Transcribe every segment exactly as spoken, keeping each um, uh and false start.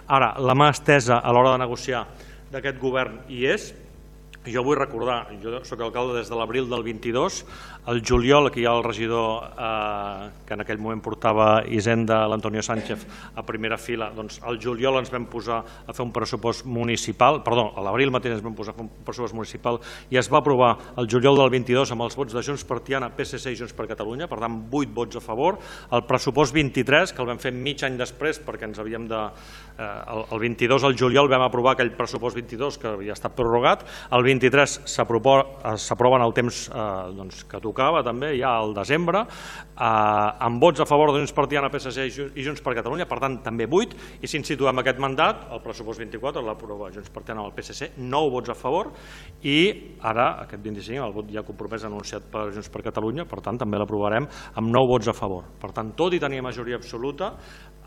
Ara, la mà estesa a l'hora de negociar d'aquest govern hi és. Jo vull recordar, jo soc alcalde des de l'abril del vint-i-dos, el juliol, aquí hi ha el regidor eh, que en aquell moment portava Hisenda, l'Antonio Sánchez, a primera fila, doncs al juliol ens vam posar a fer un pressupost municipal, perdó, a l'abril mateix ens vam posar a fer un pressupost municipal i es va aprovar el juliol del vint-i-dos amb els vots de Junts per Tiana, P S C i Junts per Catalunya, per tant, vuit vots a favor. El pressupost vint-i-tres, que el vam fer mig any després perquè ens havíem de... Eh, el, el vint-i-dos, al juliol, vam aprovar aquell pressupost vint-i-dos que havia estat prorrogat, el vint-i-tres s'aprova en el temps eh, doncs, que tocava també, ja al desembre, eh, amb vots a favor de Junts per Tiana, P S C i Junts per Catalunya, per tant també vuit, i si ens situem aquest mandat, el pressupost vint-i-quatre l'aprova Junts per Tiana amb el P S C, nou vots a favor, i ara aquest vint-i-cinc el vot ja compromès anunciat per Junts per Catalunya, per tant també l'aprovarem amb nou vots a favor. Per tant, tot i tenir majoria absoluta,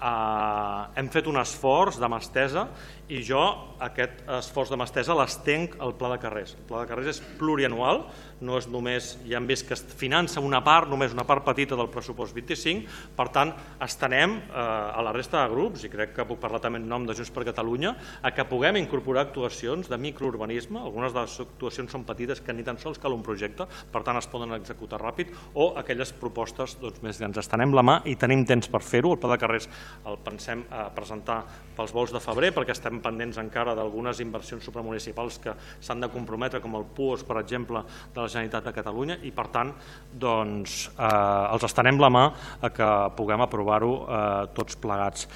eh, hem fet un esforç de mà estesa i jo aquest esforç de mà estesa l'estenc al Pla de Carrers. El Pla de Carrers és plurianual, no és només, ja hem vist que es finança una part, només una part petita del pressupost vint-i-cinc, per tant, estenem eh, a la resta de grups, i crec que puc parlar també en nom de Junts per Catalunya, a que puguem incorporar actuacions de microurbanisme, algunes de les actuacions són petites que ni tan sols cal un projecte, per tant es poden executar ràpid, o aquelles propostes doncs, més grans. Estenem la mà i tenim temps per fer-ho. El Pla de Carrers el pensem eh, presentar pels vols de febrer, perquè estem pendents encara d'algunes inversions supramunicipals que s'han de comprometre, com el P U O S, per exemple, de la Generalitat de Catalunya, i per tant doncs, eh, els estenem la mà a que puguem aprovar-ho eh, tots plegats.